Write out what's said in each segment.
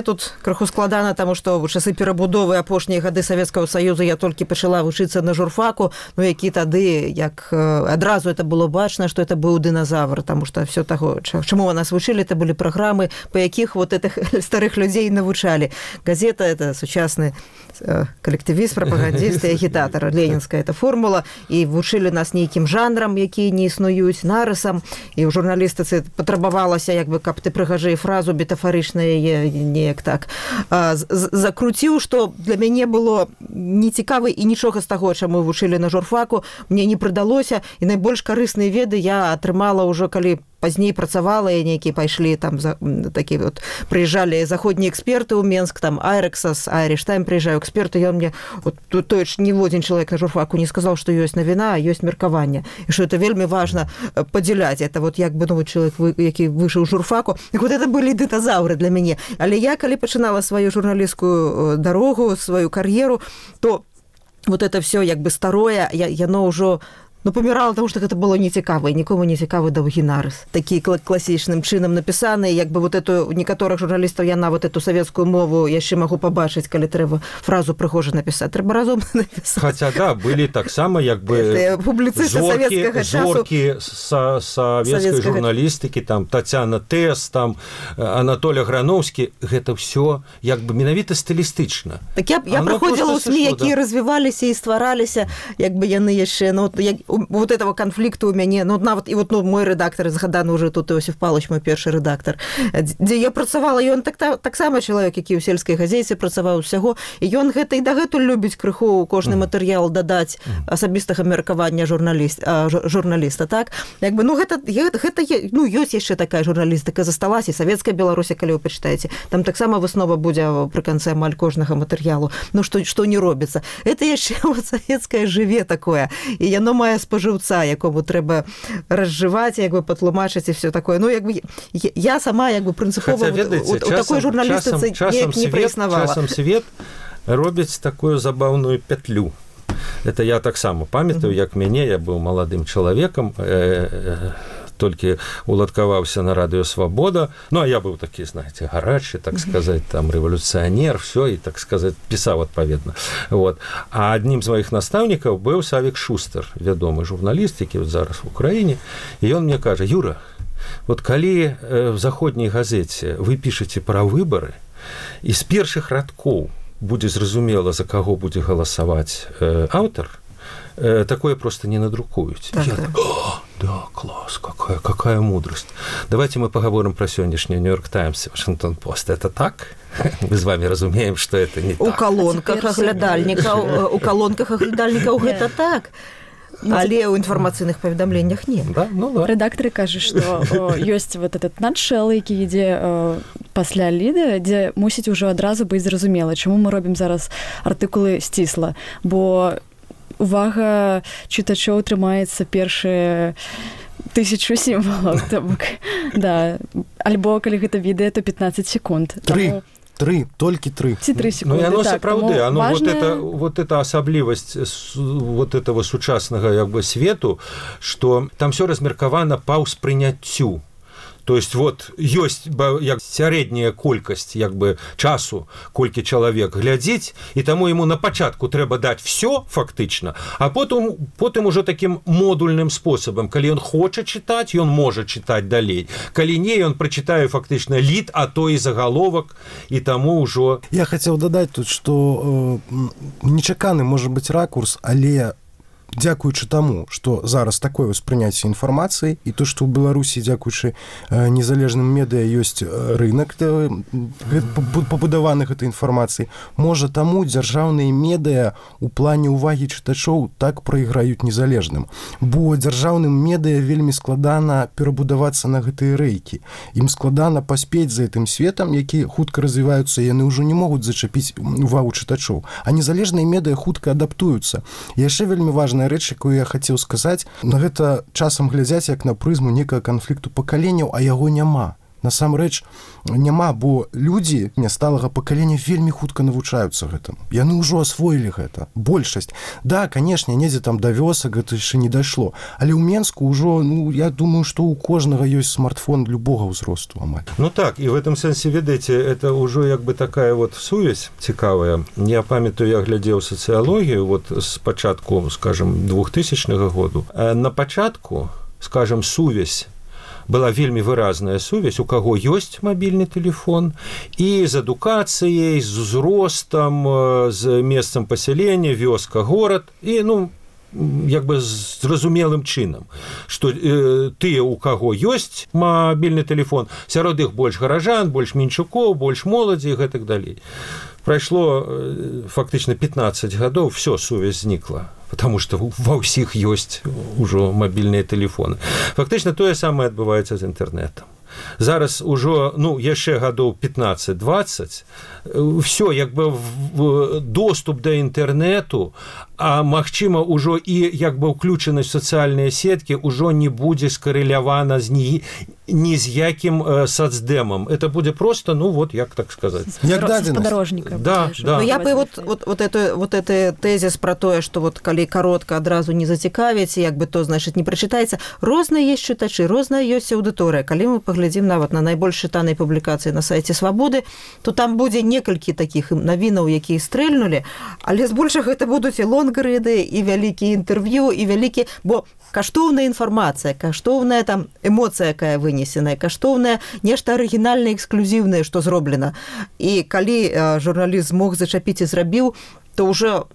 Тут крыху складана, таму што ў часы перабудовы апошнія гады Савецкага Саюза я толькі пачала вучыцца на журфаку, ну які тады, як адразу это было бачна, што это быў дыназавр, таму што все таго, чаму нас вучылі, это былі праграмы, па якіх вот этих старых людзей навучалі. Газета это сучасны калектывіст, прапагандіст і агітатар. Ленінская это формула, і вучылі нас нейкім жанрам, якія не існуюць, нарысам, і ў журналістыцы патрабавалася, як бы, каб ты прыгажэй фразу метафарычна яе неяк так закруціў, што для мяне было нецікава і нічога з таго, чаму вучылі на журфаку, мне не прыдалося, і найбольш карысныя веды я атрымала ўжо, калі пазней працавала, і нейкія пайшлі там такі вот, прыязджалі заходнія эксперты ў Менск, там Айрексас, Irish Time прыязджаю эксперты, ён мне вот той ж ніводзін чалавек на журфаку не сказаў, што ёсць навіна, а ёсць меркаванне, і што это вельмі важна падзяляць. Это вот як бы новы чалавек, які выйшаў журфаку, і вот это былі дыназаўры для мяне. Але я, калі пачынала сваю журналісцкую дарогу, сваю кар'еру, то вот это все як бы старое, яно ўжо памірала, тому што гэта было нецікава, і нікому не цікавы доўгі нарыс. Такі класічным чынам напісаны, як бы вот эту, некаторых журналістаў я нават эту савецкую мову яшчэ магу пабачыць, калі трэба фразу прыгожа напісаць. Трэба разом напісаць. Хаця, да, былі таксама, як бы, зоркі савецкай журналістыкі, там, Тацяна Тэс, там, Анатолій Грановскі, гэта ўсё, як бы, менавіта стылістычна. Так я праходзіла ў СМІ, якія развіваліся і ствараліся, як бы яны яшчэ, вот этого конфликту у мяне, нават і вот мой рэдактар згаданы уже тут Іосиф Павлович, мой першы рэдактар, дзе я працавала, і ён таксама чалавек, які ў сельскай газеце працаваў усяго, і ён гэта і дагэтуль любіць крыху кожны матэрыял дадаць асабістага меркавання журналіста, так? Як бы, гэта ёсць яшчэ такая журналістыка засталася, савецкая Беларусь, калі вы пачытаеце, там таксама выснова будзе пры канцы амаль кожнага матэрыялу, што не робіцца. Это яшчэ савецкае жыве такое, і яно мае спажыўца, якому трэба разжываць, як бы патлумачыць і все такое. Як бы я сама як бы прынцыпова у такой журналістыцы не праіснавала. Часам свет робіць такую забаўную пятлю. Это я таксама памятаю, як мяне, я быў маладым чалавекам, толькі уладкаваўся на радыё «Свабода». Ну, а я быў такі, знаеце, гарачы, так сказаць, там, рэвалюцыянер, все, і, так сказаць, пісаў адпаведна. Вот. А аднім з маіх настаўнікаў быў Савік Шустер, вядомы журналіст, які вот зараз в Украіне, і ён мне кажа: «Юра, вот калі в заходняй газеце вы пішаце пра выбары, і з першых радкоў будзе зразумела, за каго будзе галасаваць аўтар, такое просто не надрукуюць». Да, класс, какая мудрость. Давайте мы поговорим про сегодняшний Нью-Йорк Таймс и Вашингтон Пост. Это так? Мы с вами разумеем, что это не так. У колонках оглядальников это так. Але ў інфармацыйных паведамленнях не. Да? Ну, да. Рэдактары кажуць, што ёсць вот этот надшэл, які ідзе пасля ліды, дзе мусіць ужо адразу быць зразумела, чаму мы робім зараз артыкулы сцісла, бо увага чытачоў трымаецца першыя 1000 сімвалаў. Да. Альбо, калі гэта відэа, то 15 секунд. Толькі 3. Ці 3 секунды. Ну, яно сапраўды, важна... вот эта асаблівасць вот этого сучаснага як бы свету, што там все размеркавана па ўспрыняццю. То есть вот ёсць як сярэдняя колькасць як бы часу, колькі чалавек глядзіць, і таму яму на пачатку трэба даць все фактычна, а потым ужо такім модульным спосабам, калі ён хоча чытаць, ён можа чытаць далей. Калі не, ён прачытае фактычна лід, а то і загаловак, і таму ўжо... Я хацеў дадаць тут, што нечаканы можа быць ракурс, але дзякуючы таму, што зараз такое ўспрыняцце інфармацыі, і то, што ў Беларусі, дзякуючы незалежным медыа, ёсць рынак пабудаваны гэтай інфармацыі, можа таму дзяржаўныя медыа у плане ўвагі чытачоў так прайграюць незалежным. Бо дзяржаўным медыа вельмі складана перабудавацца на гэтыя рэйкі. Ім складана паспець за гэтым светам, які хутка развіваюцца, яны ўжо не могуць зачапіць увагу чытачоў. А незалежныя медыа хутка адаптуюцца. Яшчэ вельмі важна рэч, якую я хацеў сказаць, на гэта часам глядзяць як на прызму некага канфлікту пакаленняў, а яго няма. насамрэч няма, бо людзі сталага пакалення вельмі хутка навучаюцца гэтаму. Яны ўжо асвоілі гэта. Большасць. Да, канешне, недзе там да вёсак гэта яшчэ не дайшло. Але ў Менску ўжо, я думаю, што ў кожнага ёсць смартфон любога ўзросту амаль. Так, і в этом сэнсе, ведаеце, это ўжо як бы такая вот сувязь цікавая. Я памятаю, я глядзеў сацыялогію вот з пачатку, скажем, 2000 году. На пачатку, скажем, сувязь была вельмі выразная сувязь, у каго ёсць мабільны тэлефон, і з адукацыяй, з узростам, з месцам пасялення, вёска, горад, і, як бы зразумелым чынам, што тыя, у каго ёсць мабільны тэлефон, сярод іх больш гаражан, больш менчукоў, больш моладзі і гэтак далей. Прайшло фактычна 15 гадоў, всё, сувязь знікла, потому што ва ўсіх ёсць ужо мабільныя тэлефоны. Фактычна тое самае адбываецца з інтэрнэтам. Зараз ужо, яшчэ гадоў 15-20, всё, як бы доступ да інтэрнэту, а магчыма ўжо і як бы ўключанасць в сацыяльныя сеткі ўжо не будзе скарэлявана ні з якім сацдэмам. Это будзе просто, як так сказаць. Як дадзенасць. Спадарожніка. Да. Я бы вот это тезіс про тое, што вот калі каротка адразу не зацікавіць, як бы то, значыць, не прачытаецца. Розныя ёсць чытачы, розная ёсць аўдыторыя. Калі мы паглядзім нават на найбольш чытанай публікацыі на сайце Свабоды, то там будзе некалькі такіх навінаў, якія стрэльнулі, але збольшага гэта будуць і лонгрыды, і вялікія інтэрв'ю, і вялікі, бо каштоўная інфармацыя, каштоўная там эмоцыя, якая вынесеная, каштоўная нешта арыгінальнае, эксклюзіўнае, што зроблена. І калі журналіст змог зачапіць і зрабіў, то ўжо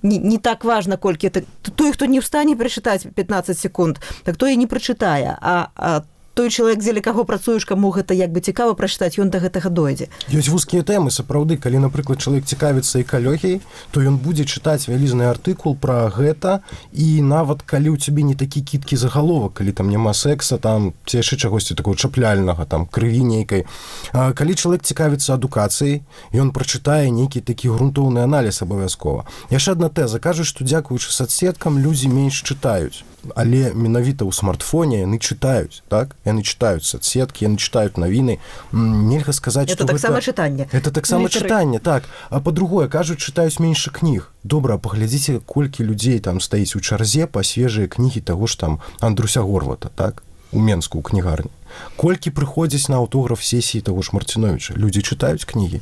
не так важна, колькі той, хто не встане прачытаць 15 секунд, так той і не прачытае, а той чалавек, дзеля каго працуеш, каму гэта як бы цікава прачытаць, ён да гэтага дойдзе. Ёсць вузкія тэмы, сапраўды, калі, напрыклад, чалавек цікавіцца экалогіяй, то ён будзе чытаць вялізны артыкул пра гэта, і нават калі ў цябе не такі кіткі загаловак, калі там няма секса, там ці яшчэ чагосьці такого чапляльнага, там крыві нейкай. Калі чалавек цікавіцца адукацыяй, ён прачытае нейкі такі грунтоўны аналіз абавязкова. Яшчэ адна тэза, кажуць, што дзякуючы соцсеткам людзі менш чытаюць, але менавіта ў смартфоне яны чытаюць, так? Яны чытаюць соцсеткі, яны чытаюць навіны. Нельга сказаць, што гэта таксама чытанне. Это таксама чытанне, так. А па-другое, кажуць, чытаюць менш кніг. Добра, паглядзіце, колькі людзей там стаіць у чарзе па свежыя кнігі таго ж там Андруся Горвата, так? У Менску, у кнігарні. Колькі прыходзяць на аўтограф сесіі таго ж Марціновіча. Людзі чытаюць кнігі.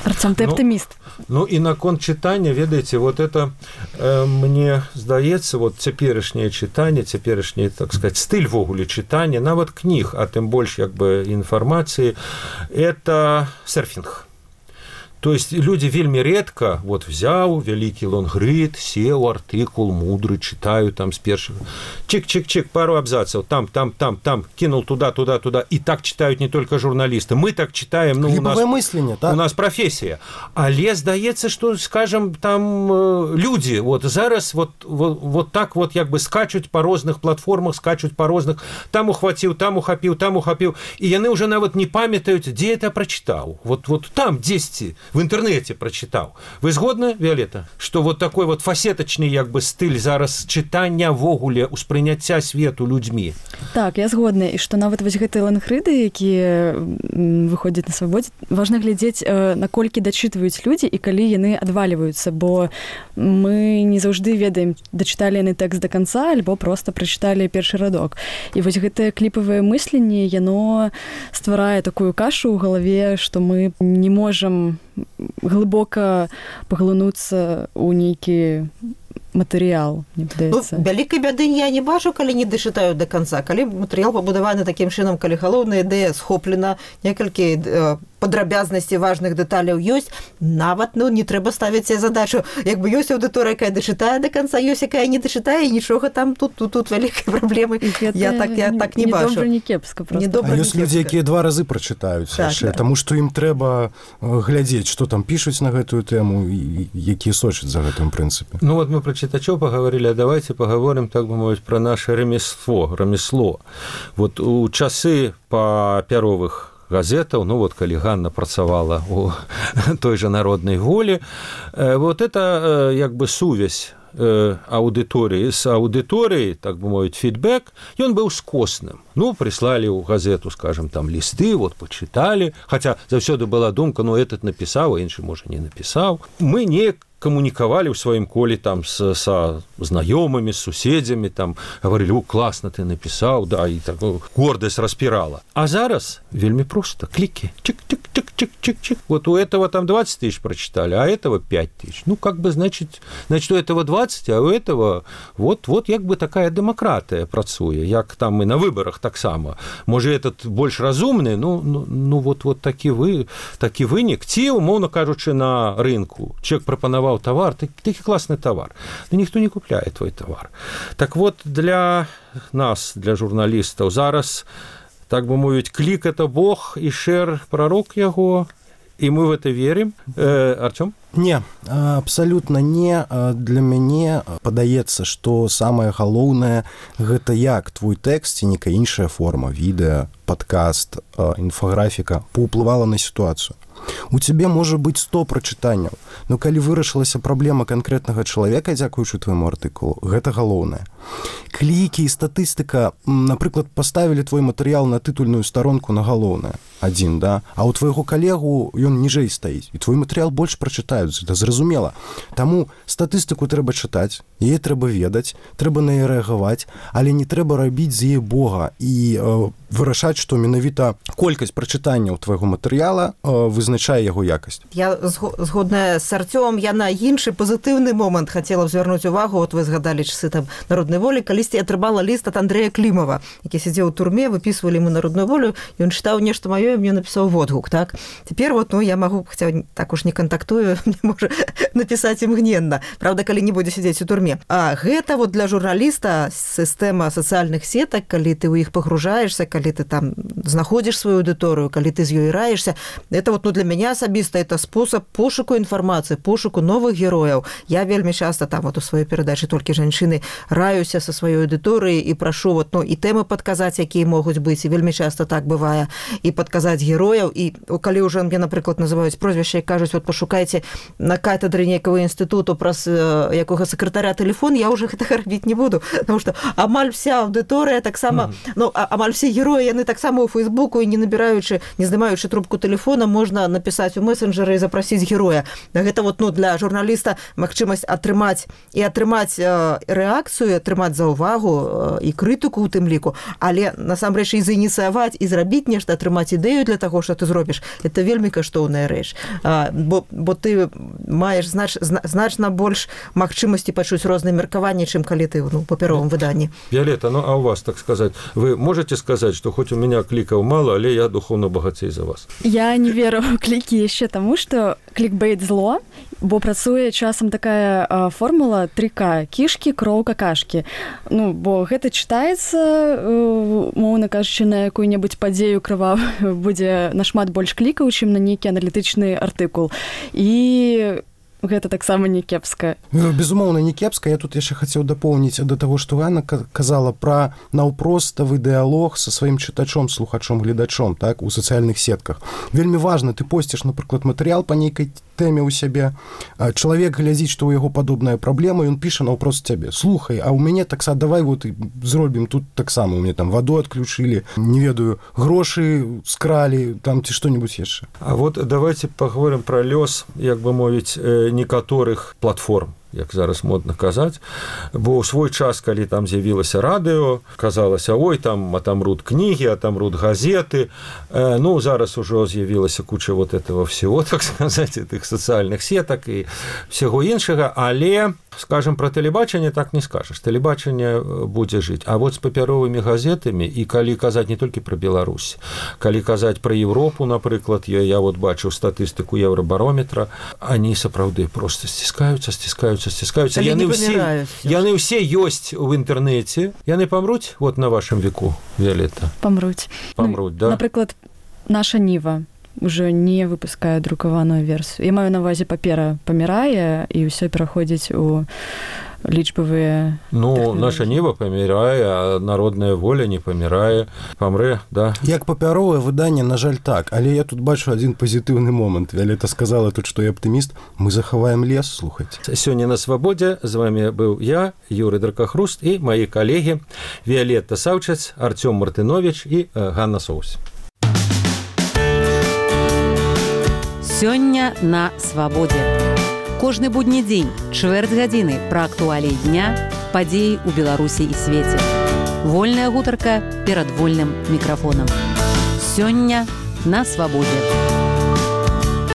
Арцём, ты аптыміст. І наконт чытання, ведаеце, вот это мне здаецца, вот цяперашняе чытанне, цяперашні, так сказать, стыль вогуле чытання, нават кніг, а тым больш як бы інфармацыі, это серфінг. То есть люди вельмі редко вот взяў вялікі лонгрид, сеў артыкул мудры, читаю там с першых чик-чик-чик, пару абзацаў, там, кинул туда, и так читают не только журналисты, мы так читаем, у нас мысленне, так? У нас профессия. Але здаецца, что, скажем, там люди вот зараз вот так вот як бы скачуць по розных платформах, скачуць по розных, там ухватил, там ухапіў, и яны уже нават не памятаюць, где это прочитал. Вот там 10 в интернете прочитал. Вы згодны, Виолетта, что вот такой вот фасеточный як бы стыль зараз чытання вогуле успрыняцця свету людзьмі? Так, я згодна, і што нават вось гэтыя лангрыды, якія выходзяць на свабодзе, важна глядзець, наколькі дачытваюць людзі і калі яны адвальваюцца, бо мы не заўжды ведаем, дачыталі яны тэкст да канца альбо проста прачыталі першы радок. І вось гэтае кліпавае мысленне, яно стварае такую кашу ў галаве, што мы не можам глыбока паглынуцца ў нейкі матэрыял, мне падаецца. Вялікай бяды я не бачу, калі не дачытаю да канца. Калі матэрыял пабудаваны такім чынам, калі галоўная ідэя схоплена, некалькі падрабязнасці важных дэталяў ёсць, нават не трэба ставіць себе задачу. Як бы ёсць аўдыторыя, якая дачытае да канца, ёсць якая не дачытае, і нічога там тут вялікай праблемы. Я так не бачу. Не кепска просто. А ёсць людзі, якія 2 разы прачытаюць, таму што ім трэба глядзець, што там пішуць на гэтую тэму, якія сочаць за гэтым прынцыпе. Вот мы про читачов поговорили, а давайте поговорим, так бы мовить, про наше ремесло. Вот у часы папяровых газетаў, вот калі Ганна працавала у той же народнай волі, вот это як бы сувязь аўдыторыі з аўдыторыяй, так бы мовіць, фідбэк, ён быў скосным. Ну, прыслалі ў газету, скажем, там лісты, вот пачыталі, хаця заўсёды была думка, ну, этот напісаў, а іншы, можа, не напісаў. Мы неяк камунікавалі ў сваім коле там са знаёмымі, з суседзямі, там гаварылі: «О, класна ты напісаў», да, і так гордасць распірала. А зараз вельмі проста, клікі, чик-чик-чик-чик-чик. Вот у этого там 20 тысяч прочитали, а этого 5 тысяч. Ну, как бы, значит, у этого 20, а у этого вот як бы такая дэмакратыя працуе, як там і на выбарах таксама. Можа, этот больш разумны, ну вот такі вынік. Ці, умоўна кажучы, на рынку чалавек прапанаваў товар, такі класны товар, но ніхто не купляе твой товар. Так вот, для нас, для журналістаў, зараз, так бы мовіць, клік – это Бог, і шэр – пророк яго, і мы в это верим. Артём? Не, абсалютна не. Для мяне падаецца, што самае галоўнае – гэта як твой тэкст ці нейкая іншая форма, відэа, падкаст, інфаграфіка паўплывала на сітуацыю. У цябе можа быць 100 прачытанняў, но калі вырашылася праблема канкрэтнага чалавека, дзякуючы твайму артыкулу, гэта галоўнае. Клікі і статыстыка, напрыклад, паставілі твой матэрыял на тытульную старонку на галоўнае, адзін, да? А ў твайго калегу ён ніжэй стаіць, і твой матэрыял больш прачытаюць, это зразумела. Таму статыстыку трэба чытаць, яе трэба ведаць, трэба на яе рэагаваць, але не трэба рабіць з яе Бога і вырашаць, што менавіта колькасць прачытанняў твайго матэрыяла вызначае яго якасць. Я згодная з Артёмом, я на іншы пазітыўны момант хацела б звярнуць увагу. От вы згадалі часы там народнай волі, калісьці атрымала ліст ад Андрэя Клімава, які сядзеў у турме, выпісвалі ему народную волю, і ён чытаў нешта маё, і мне напісаў водгук, так? Цяпер вот, я магу, хаця так уж не кантактую, мне можа напісаць імгненна, правда, калі не будзе сядзець у турме. А гэта вот для журналіста сістэма сацыяльных сетак, калі ты ў іх пагружаешься, калі ты там знаходзіш сваю аўдыторыю, калі ты з ёй раешься, это вот, для мяне асабіста это спосаб пошуку інфармацыі, пошуку новых герояў. Я вельмі часта там вот у сваёй перадачы «Толькі жанчыны» раюся са сваёй аўдыторыяй і прашу вот, і тэмы падказаць, якія могуць быць, і вельмі часта так бывае, і падказаць герояў, і калі ўжо мне, напрыклад, называюць прозвішча і кажуць, вот пашукайце на кафедры нейкага інстытуту праз якога сакратаря тэлефон, я ўжо гэтага рабіць не буду, потому што амаль вся аўдыторыя таксама, амаль все героі, яны таксама ў Фейсбуку, і не набіраючы, не здымаючы трубку тэлефона, можна напісаць у месенджеры і запрасіць героя. Гэта вот, для журналіста магчымасць атрымаць рэакцыю, атрымаць заўвагу і крытыку ў тым ліку, але насамрэч і заініцыяваць і зрабіць нешта, атрымаць ідэю для таго, што ты зробіш, это вельмі каштоўная рэч. Бо ты маеш значна больш магчымасці пачуць розныя меркаванні, чым калі ты ў папяровым выданні. Виолетта, а у вас, так сказать, вы можете сказать, что хоть у меня кликов мало, але я духовно богатей за вас? Я не веру ў клікі яшчэ таму, што клікбейт зло, бо працуе часам такая формула 3К: кішкі, кроў, какашкі. Бо гэта чытаецца, моўна кажучы, на якую-небудзь падзею крывавую будзе нашмат больш клікаў, чым на нейкі аналітычны артыкул. І гэта таксама не кепска. Безумоўна, не кепска. Я тут яшчэ хацеў дапоўніць да таго, што Ганна казала пра наўпроставы дыялог са сваім чытачом, слухачом, гледачом, так, у сацыяльных сетках. Вельмі важна, ты посціш, напрыклад, матэрыял па нейкай тэме ў сябе, чалавек глядзіць, што ў яго падобная праблема, ён піша наўпрост цябе: слухай, а ў мяне таксама, давай вот зробім тут таксама, у мяне там ваду адключылі, не ведаю, грошы скралі, там ці што-небудзь яшчэ. А вот давайте паговорым пра лёс, як бы мовіць, некаторых платформ, як зараз модна казаць, бо ў свой час, калі там з'явілася радыё, казалася: ой, там атамрут кнігі, атамрут газеты. Зараз ужо з'явілася куча вот этого всего, так сказаць, тых сацыяльных сетак і всяго іншага, але, скажем, про тэлебачанне так не скажаш. Тэлебачанне будзе жыць. А вот з папяровымі газетамі, і калі казаць не толькі пра Беларусь, калі казаць пра Европу, напрыклад, я вот бачыў статыстыку Еўрабарометра, они сапраўды просто сціскаюцца. Яны ўсе ёсць у інтэрнэце. Яны памруць вот на вашым веку, Виолетта? Памруць, да? Напрыклад, наша Ніва уже не выпускае друкаваную версію. Я маю на ўвазе, папера памірае, і ўсё пераходзіць у лічбавыя наша ніва памірае, а народная воля не памірае, памрэ, да. Як папяровае выданне, на жаль, так, але я тут бачу адзін пазітыўны момант. Віолетта сказала тут, што я аптыміст, мы захаваем лес, слухайце. Сёння на свабодзе з вами быў я, Юрый Дракахруст, і маі калегі Віолетта Саўчац, Артём Мартынович і Ганна Соус. Сёння на свабодзе. Кожны будні дзень, чвэрць гадзіны пра актуаліі дня, падзеі ў Беларусі і свеце. Вольная гутарка перад вольным мікрафонам. Сёння на свабодзе.